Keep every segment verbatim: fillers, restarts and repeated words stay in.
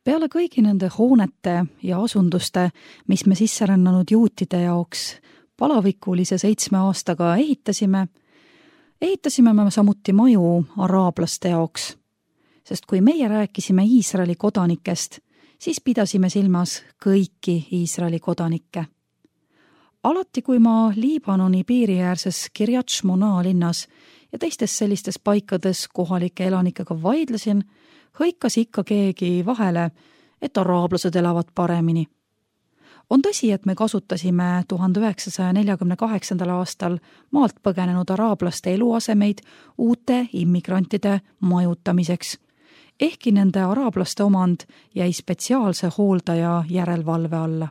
Peale kõigi nende hoonete ja asunduste, mis me sisserännanud juutide jaoks palavikulise seitsme aastaga ehitasime, ehitasime me samuti maju araablaste jaoks. Sest kui meie rääkisime Iisraeli kodanikest, siis pidasime silmas kõiki Iisraeli kodanikke. Alati, kui ma Liibanoni piiriäärses Kiryat Shmona linnas ja teistes sellistes paikades kohalike elanikega vaidlesin, hõikas ikka keegi vahele, et araablased elavad paremini. On tõsi, et me kasutasime tuhande üheksasaja neljakümne kaheksandal aastal maalt põgenenud araablaste eluasemeid uute immigrantide majutamiseks, ehkki nende araablaste omand jäi spetsiaalse hooldaja järelevalve alla.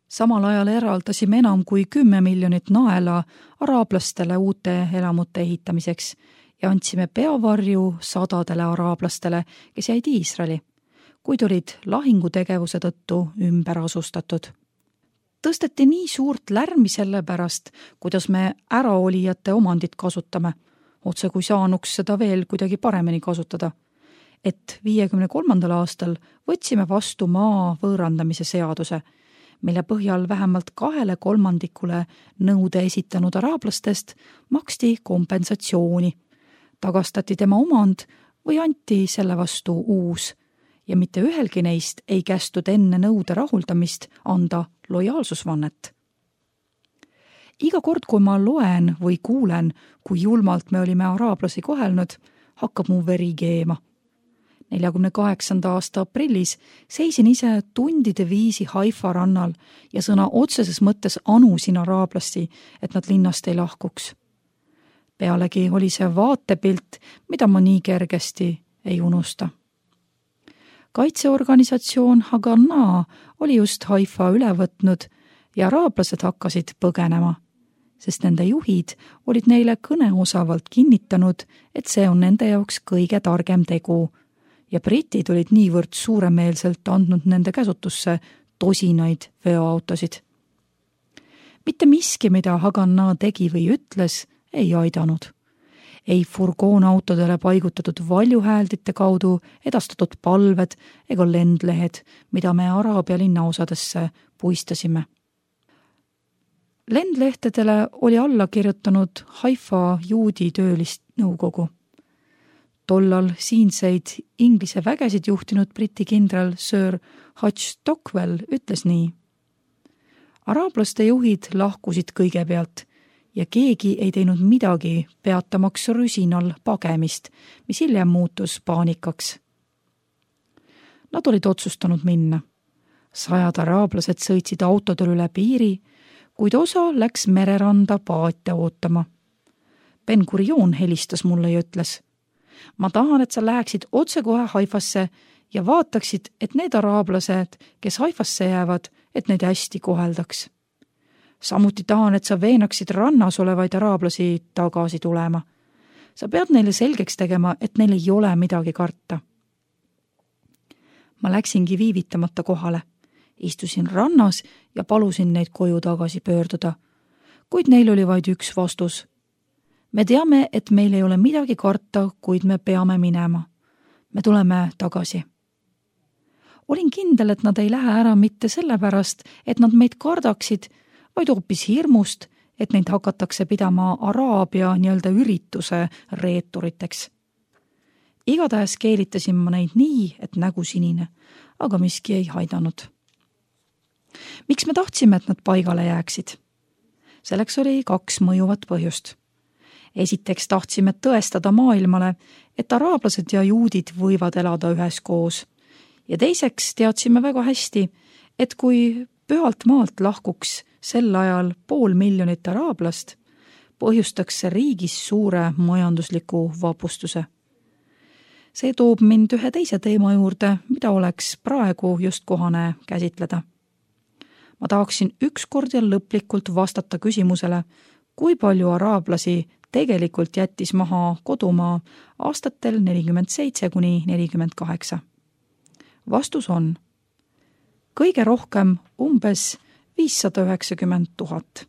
Samal ajal eraldasime enam kui kümme miljonit naela araablastele uute elamute ehitamiseks ja andsime peavarju sadadele araablastele, kes jäid Iisraeli, kuid olid lahingutegevuse tõttu ümber asustatud. Tõsteti nii suurt lärmi selle pärast, kuidas me äraolijate omandit kasutame, otse kui saanuks seda veel kuidagi paremini kasutada, et viiekümne kolmandal aastal võtsime vastu maa võõrandamise seaduse, mille põhjal vähemalt kahele kolmandikule nõude esitanud araablastest maksti kompensatsiooni, tagastati tema omand või anti selle vastu uus ja mitte ühelgi neist ei kästud enne nõude rahuldamist anda lojaalsusvannet. Iga kord, kui ma loen või kuulen, kui julmalt me olime araablasi kohelnud, hakkab mu veri keema. neljakümne kaheksanda aasta aprillis seisin ise tundide viisi Haifa rannal ja sõna otseses mõttes anusin araablasti, et nad linnast ei lahkuks. Pealegi oli see vaatepilt, mida ma nii kergesti ei unusta. Kaitseorganisatsioon Haganah oli just Haifa üle võtnud ja araablased hakkasid põgenema, sest nende juhid olid neile kõneosavalt kinnitanud, et see on nende jaoks kõige targem tegu ja britid olid niivõrd suuremeelselt andnud nende käsutusse tosinaid veoautosid. Mitte miski, mida Haganah tegi või ütles, ei aidanud. Ei furgoonautodele paigutatud valjuhääldite kaudu edastatud palved ega lendlehed, mida me Araabia linnaosadesse puistasime. Lendlehtedele oli alla kirjutanud Haifa juudi töölist nõukogu. Tollal siinseid Inglise vägesid juhtinud briti kindral Sir Hutch Stockwell ütles nii. Araablaste juhid lahkusid kõigepealt ja keegi ei teinud midagi peatamaks rüsinal pagemist, mis hiljem muutus paanikaks. Nad olid otsustanud minna. Sajad araablased sõitsid autodel üle piiri, kuid osa läks mereranda paate ootama. Ben Gurion helistas mulle ja ütles, ma tahan, et sa läheksid otse kohe Haifasse ja vaataksid, et need araablased, kes Haifasse jäävad, et neid hästi koheldaks. Samuti tahan, et sa veenaksid rannas olevaid araablasi tagasi tulema. Sa pead neile selgeks tegema, et neil ei ole midagi karta. Ma läksingi viivitamata kohale. Istusin rannas ja palusin neid koju tagasi pöörduda. Kuid neil oli vaid üks vastus. Me teame, et meil ei ole midagi karta, kuid me peame minema. Me tuleme tagasi. Olin kindel, et nad ei lähe ära mitte sellepärast, et nad meid kardaksid, vaid hoopis hirmust, et neid hakatakse pidama Araabia nii-öelda ürituse reeturiteks. Igatahes keelitasin ma neid nii, et nägu sinine, aga miski ei haidanud. Miks me tahtsime, et nad paigale jääksid? Selleks oli kaks mõjuvat põhjust. Esiteks tahtsime tõestada maailmale, et araablased ja juudid võivad elada üheskoos. Ja teiseks teadsime väga hästi, et kui pühalt maalt lahkuks sel ajal pool miljonit araablast, põhjustaks see riigis suure majandusliku vapustuse. See toob mind ühe teise teema juurde, mida oleks praegu just kohane käsitleda. Ma tahaksin ükskord ja lõplikult vastata küsimusele, kui palju araablasi tegelikult jättis maha kodumaa aastatel nelikümmend seitse kuni nelikümmend kaheksa. Vastus on kõige rohkem umbes viissada üheksakümmend tuhat.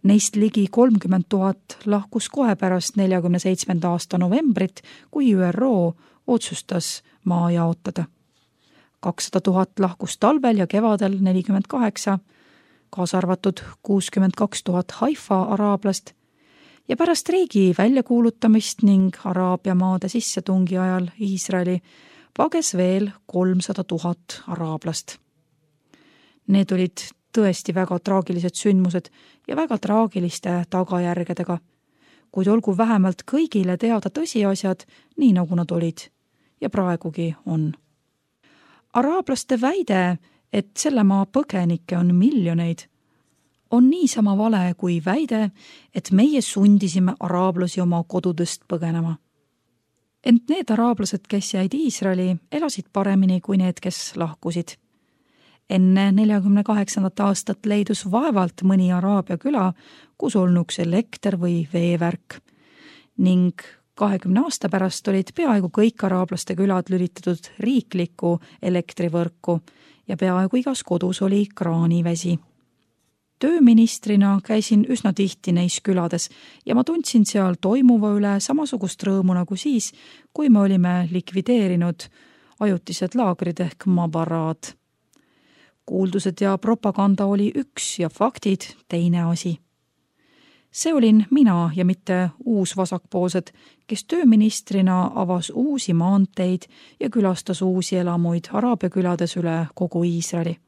Neist ligi kolmkümmend tuhat lahkus kohe pärast neljakümne seitsmenda aasta novembrit, kui Ü R O otsustas maa jaotada. kakssada tuhat lahkus talvel ja kevadel nelikümmend kaheksa, kaasa arvatud kuuskümmend kaks tuhat Haifa araablast ja pärast riigi väljakuulutamist ning Araabia maade sissetungi ajal Iisraeli pages veel kolmsada tuhat araablast. Need olid tõesti väga traagilised sündmused ja väga traagiliste tagajärgedega, kuid olgu vähemalt kõigile teada tõsiasjad, nii nagu nad olid ja praegugi on. Araablaste väide, et selle maa põgenikke on miljoneid, on niisama vale kui väide, et meie sundisime araablasi oma kodudest põgenema. Ent need araablased, kes jäid Iisraeli, elasid paremini kui need, kes lahkusid. Enne neljakümne kaheksandat aastat leidus vaevalt mõni Araabia küla, kus olnuks elekter või veevärk. Ning kahekümne aasta pärast olid peaaegu kõik araablaste külad lülitatud riiklikku elektrivõrku ja peaaegu igas kodus oli kraanivesi. Tööministrina käisin üsna tihti neis külades ja ma tundsin seal toimuva üle samasugust rõõmu nagu siis, kui me olime likvideerinud ajutised laagrid ehk mabaraad. Kuuldused ja propaganda oli üks ja faktid teine asi. See olin mina ja mitte uus vasakpoolsed, kes tööministrina avas uusi maanteid ja külastas uusi elamuid Araabia külades üle kogu Iisraeli.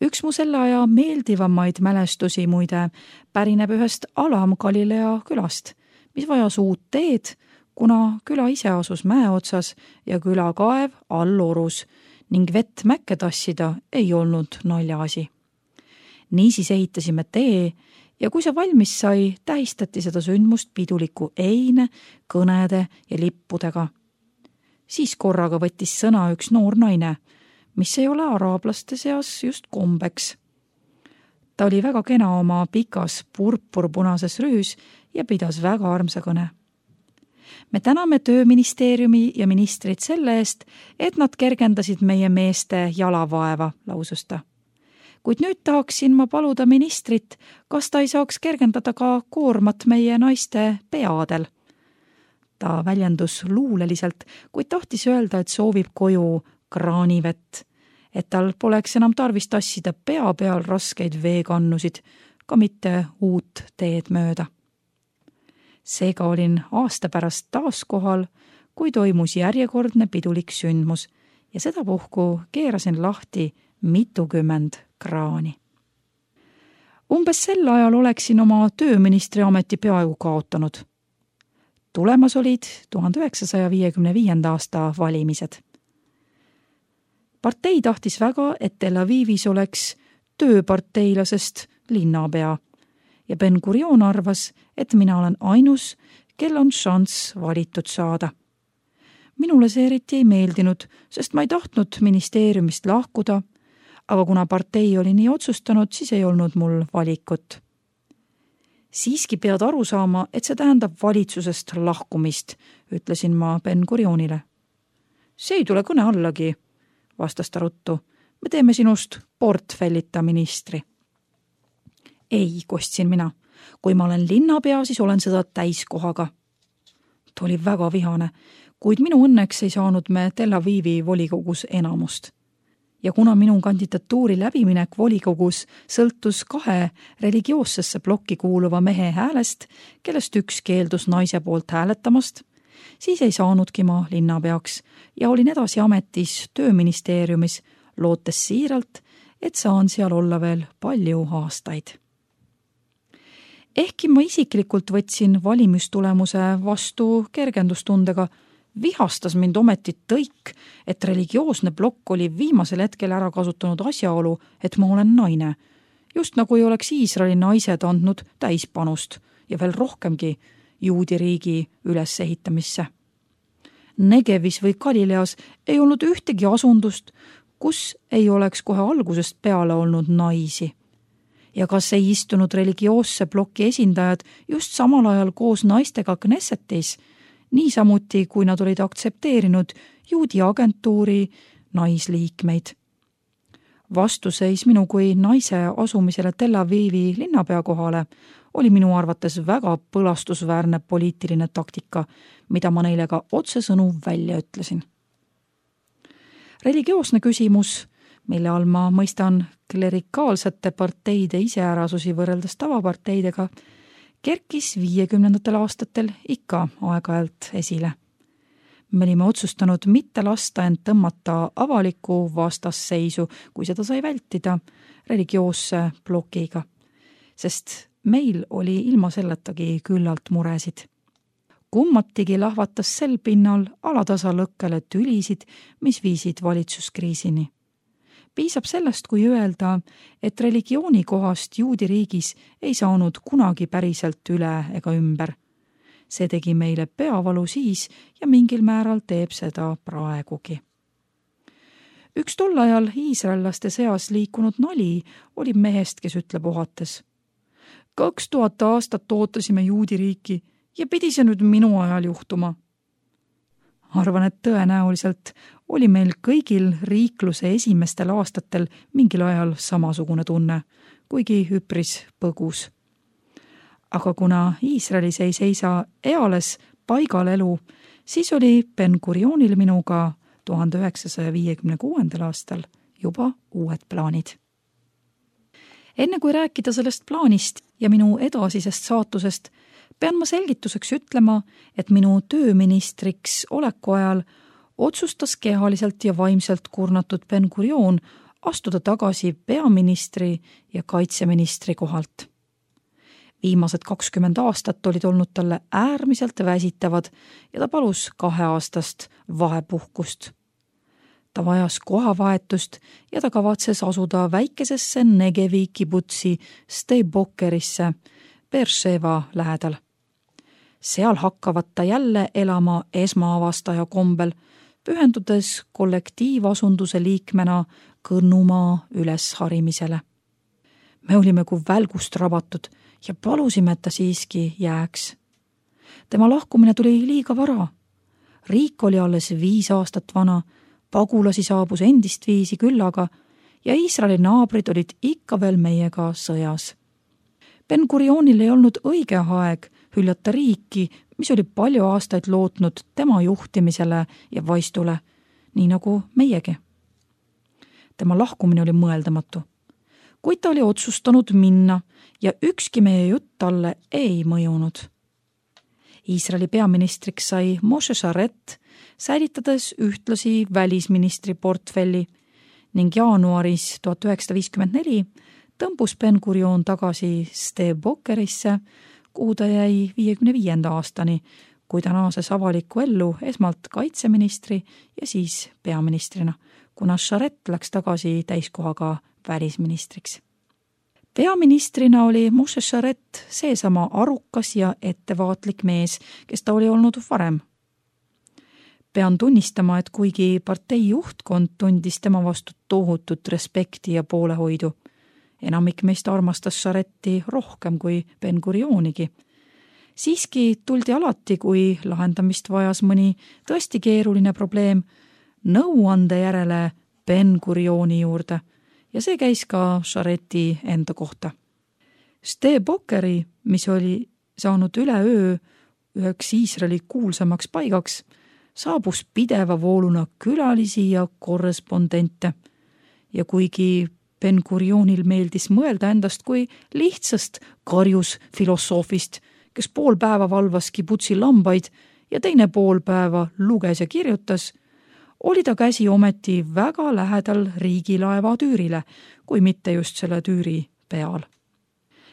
Üks mu selle aja meeldivamaid mälestusi muide pärineb ühest Alam Galilea külast, mis vajas uut teed, kuna küla ise asus mäe otsas ja külakaev all orus ning vett mäkke tassida ei olnud naljaasi. Niisiis ehitasime tee ja kui see valmis sai, tähistati seda sündmust piduliku eine, kõnede ja lippudega. Siis korraga võttis sõna üks noor naine, mis ei ole araablaste seas just kombeks. Ta oli väga kena oma pikas purpurpunases rüüs ja pidas väga armsa kõne. Me täname tööministeeriumi ja ministrid selle eest, et nad kergendasid meie meeste jalavaeva, lausus ta. Kuid nüüd tahaksin ma paluda ministrit, kas ta ei saaks kergendada ka koormat meie naiste peadel. Ta väljendus luuleliselt, kuid tahtis öelda, et soovib koju kraanivett, et tal poleks enam tarvis tassida pea peal raskeid veekannusid, ka mitte uut teed mööda. Seega olin aasta pärast taas kohal, kui toimus järjekordne pidulik sündmus ja sedapuhku keerasin lahti mitukümmend kraani. Umbes sel ajal oleksin oma tööministri ameti peaaegu kaotanud. Tulemas olid tuhande üheksasaja viiekümne viienda aasta valimised. Partei tahtis väga, et Tel Avivis oleks tööparteilasest linnapea ja Ben Gurion arvas, et mina olen ainus, kel on šanss valitud saada. Minule see eriti ei meeldinud, sest ma ei tahtnud ministeeriumist lahkuda, aga kuna partei oli nii otsustanud, siis ei olnud mul valikut. Siiski pead aru saama, et see tähendab valitsusest lahkumist, ütlesin ma Ben Gurionile. See ei tule kõne allagi, vastas ta ruttu. Me teeme sinust portfellita ministri. Ei, kostsin mina. Kui ma olen linnapea, siis olen seda täiskohaga. Ta oli väga vihane, kuid minu õnneks ei saanud me Tel Avivi volikogus enamust. Ja kuna minu kandidatuuri läbiminek volikogus sõltus kahe religioossesse plokki kuuluva mehe häälest, kellest üks keeldus naise poolt hääletamast, siis ei saanudki ma linnapeaks ja olin edasi ametis tööministeeriumis, lootes siiralt, et saan seal olla veel palju aastaid. Ehkki ma isiklikult võtsin valimistulemuse vastu kergendustundega, vihastas mind ometi tõik, et religioosne plokk oli viimasel hetkel ära kasutanud asjaolu, et ma olen naine, just nagu ei oleks Iisraeli naised andnud täispanust ja veel rohkemgi juudi riigi ülesehitamisse. Negevis või Galileas ei olnud ühtegi asundust, kus ei oleks kohe algusest peale olnud naisi. Ja kas ei istunud religioosse ploki esindajad just samal ajal koos naistega Knessetis, niisamuti kui nad olid aktsepteerinud juudi agentuuri naisliikmeid. Vastuseis minu kui naise asumisele Tel Avivi linnapea kohale oli minu arvates väga põlastusväärne poliitiline taktika, mida ma neile ka otsesõnu välja ütlesin. religioosne küsimus, mille all ma mõistan klerikaalsete parteide iseärasusi võrreldes tavaparteidega, kerkis viiekümnendatel aastatel ikka aeg-ajalt esile. Me olime otsustanud mitte lasta end tõmmata avaliku vastasseisu, kui seda sai vältida, religioosse blokiga, sest meil oli ilma selletagi küllalt muresid. Kummatigi lahvatas sel pinnal alatasa lõkkele tülisid, mis viisid valitsuskriisini. Piisab sellest, kui öelda, et religiooni kohast juudi riigis ei saanud kunagi päriselt üle ega ümber. See tegi meile peavalu siis ja mingil määral teeb seda praegugi. Üks tol ajal iisraellaste seas liikunud nali oli mehest, kes ütleb ohates. Kaks tuhat aastat ootasime juudi riiki ja pidi see nüüd minu ajal juhtuma. Arvan, et tõenäoliselt oli meil kõigil riikluse esimestel aastatel mingil ajal samasugune tunne, kuigi üpris põgus. Aga kuna Iisraelis ei seisa eales paigal elu, siis oli Ben-Gurionil minuga tuhande üheksasaja viiekümne kuuendal aastal juba uued plaanid. Enne kui rääkida sellest plaanist ja minu edasisest saatusest, pean ma selgituseks ütlema, et minu tööministriks oleku ajal otsustas kehaliselt ja vaimselt kurnatud Ben-Gurion astuda tagasi peaministri ja kaitseministri kohalt. Viimased kakskümmend aastat olid olnud talle äärmiselt väsitavad ja ta palus kaheaastast vahepuhkust. Ta vajas kohavahetust ja ta kavatses asuda väikesesse Negevi kibutsi Steibokerisse Beersheva lähedal. Seal hakkavad ta jälle elama esmaavastaja kombel, pühendudes kollektiivasunduse liikmena Kõnnumaa ülesharimisele. Me olime kui välgust rabatud ja palusime, et ta siiski jääks. Tema lahkumine tuli liiga vara. Riik oli alles viis aastat vana, pagulasi saabus endist viisi küllaga ja Iisraeli naabrid olid ikka veel meiega sõjas. Ben-Gurionil ei olnud õige aeg hüljata riiki, mis oli palju aastaid lootnud tema juhtimisele ja vaistule, nii nagu meiegi. Tema lahkumine oli mõeldamatu. Kuid ta oli otsustanud minna ja ükski meie jutt talle ei mõjunud. Iisraeli peaministriks sai Moshe Sharet, säilitades ühtlasi välisministri portfelli ning jaanuaris tuhat üheksasada viiskümmend neli tõmbus Ben-Gurion tagasi Steibokerisse, kuhu ta jäi viiekümne viienda aastani, kui ta naases avalikku ellu esmalt kaitseministri ja siis peaministrina, kuna Sharet läks tagasi täiskohaga välisministriks. Peaministrina oli Moshe Sharet seesama arukas ja ettevaatlik mees, kes ta oli olnud varem. Pean tunnistama, et kuigi partei juhtkond tundis tema vastu tohutut respekti ja poolehoidu, enamik meist armastas Sharetti rohkem kui Ben-Gurionigi. Siiski tuldi alati, kui lahendamist vajas mõni tõesti keeruline probleem, nõuande järele Ben-Gurioni juurde ja see käis ka Sharetti enda kohta. Steibokeri, mis oli saanud üleöö üheks Iisraeli kuulsamaks paigaks, saabus pideva vooluna külalisi ja korrespondente ja kuigi Ben-Gurionil meeldis mõelda endast kui lihtsast karjus filosoofist, kes pool päeva valvas kibutsi lambaid ja teine pool päeva luges ja kirjutas, oli ta käsi ometi väga lähedal riigilaeva tüürile, kui mitte just selle tüüri peal.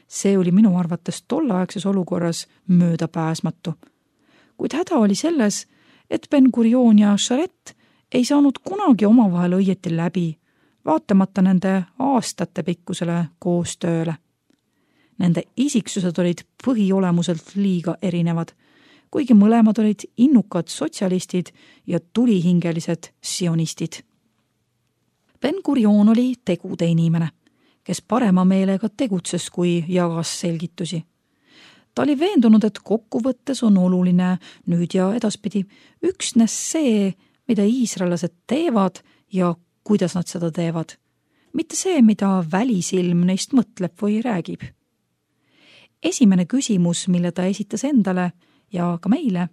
See oli minu arvates tolleaegses olukorras möödapääsmatu. Kuid häda oli selles, et Ben-Gurion ja Sharet ei saanud kunagi omavahel õieti läbi, vaatamata nende aastate pikkusele koostööle. Nende isiksused olid põhiolemuselt liiga erinevad, kuigi mõlemad olid innukad sotsialistid ja tulihingelised sionistid. Ben-Gurion oli tegude inimene, kes parema meelega tegutses, kui jagas selgitusi. Ta oli veendunud, et kokkuvõttes on oluline nüüd ja edaspidi üksnes see, mida iisraelased teevad ja kuidas nad seda teevad, mitte see, mida välisilm neist mõtleb või räägib. Esimene küsimus, mille ta esitas endale ja ka meile,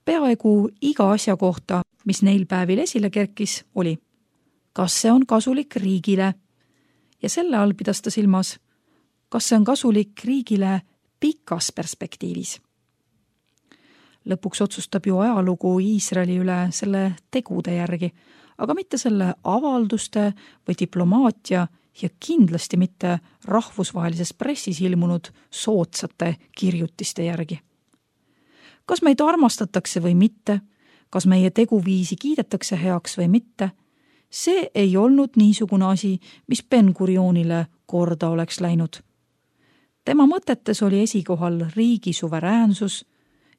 peaaegu iga asja kohta, mis neil päevil esile kerkis, oli: kas see on kasulik riigile ja selle all pidas ta silmas, kas see on kasulik riigile pikas perspektiivis. Lõpuks otsustab ju ajalugu Iisraeli üle selle tegude järgi, aga mitte selle avalduste või diplomaatia ja kindlasti mitte rahvusvahelises pressis ilmunud soodsate kirjutiste järgi. Kas meid armastatakse või mitte, kas meie teguviisi kiidetakse heaks või mitte, see ei olnud niisugune asi, mis Ben-Gurionile korda oleks läinud. Tema mõtetes oli esikohal riigi suveräänsus,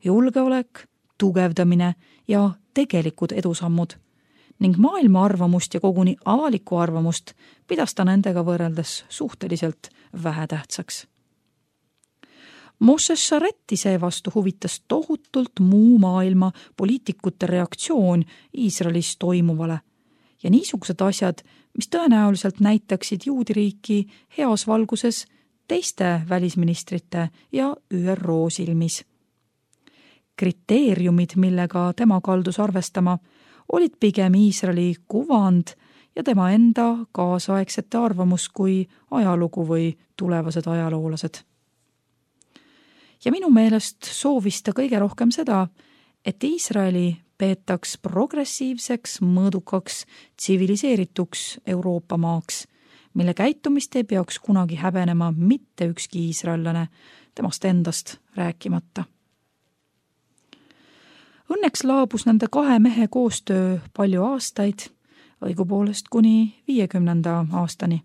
julgeolek, tugevdamine ja tegelikud edusammud ning maailma arvamust ja koguni avalikku arvamust pidas ta nendega võrreldes suhteliselt vähetähtsaks. Moshe Sharetti seevastu huvitas tohutult muu maailma poliitikute reaktsioon Iisraelis toimuvale ja niisugused asjad, mis tõenäoliselt näitaksid juudiriiki heas valguses teiste välisministrite ja Ü R O silmis. Kriteeriumid, millega tema kaldus arvestama, olid pigem Iisraeli kuvand ja tema enda kaasaegsete arvamus kui ajalugu või tulevased ajaloolased. Ja minu meelest soovis ta kõige rohkem seda, et Iisraeli peetaks progressiivseks, mõõdukaks, tsiviliseerituks Euroopa maaks, mille käitumist ei peaks kunagi häbenema mitte ükski iisraellane, temast endast rääkimata. Õnneks laabus nende kahe mehe koostöö palju aastaid, õigupoolest kuni viiekümnenda aastani.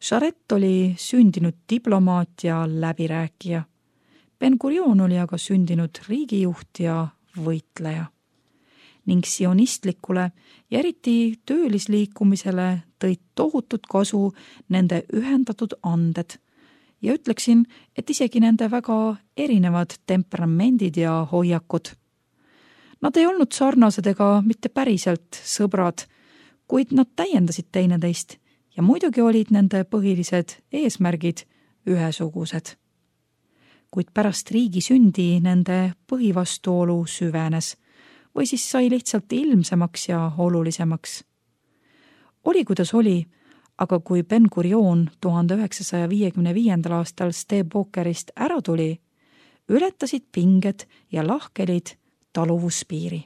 Sharet oli sündinud diplomaat ja läbirääkija. Ben-Gurion oli aga sündinud riigijuht ja võitleja. Ning sionistlikule ja eriti töölisliikumisele tõid tohutut kasu nende ühendatud anded ja ütleksin, et isegi nende väga erinevad temperamendid ja hoiakud. Nad ei olnud sarnased ega mitte päriselt sõbrad, kuid nad täiendasid teineteist ja muidugi olid nende põhilised eesmärgid ühesugused. Kuid pärast riigi sündi nende põhivastuolu süvenes või siis sai lihtsalt ilmsemaks ja olulisemaks. Oli kuidas oli, aga kui Ben-Gurion tuhande üheksasaja viiekümne viiendal aastal Stebokerist ära tuli, ületasid pinged ja lahkelid taluvuspiiri.